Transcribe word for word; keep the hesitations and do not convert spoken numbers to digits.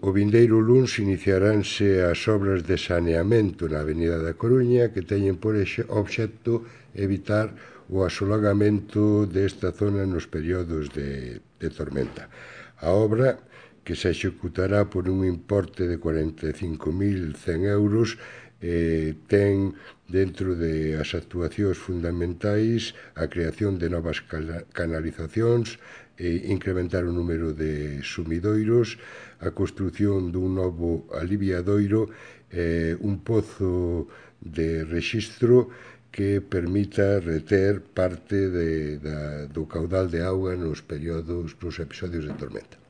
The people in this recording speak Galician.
O vindeiro luns iniciaránse as obras de saneamento na Avenida da Coruña que teñen por obxecto evitar o asolagamento desta zona nos períodos de, de tormenta. A obra, que se executará por un importe de cuarenta e cinco mil cen euros, eh, ten dentro de as actuacións fundamentais a creación de novas canalizacións, e incrementar o número de sumidoiros, a construción dun novo aliviadoiro, eh, un pozo de rexistro que permita reter parte de, da, do caudal de auga nos períodos, nos episodios de tormenta.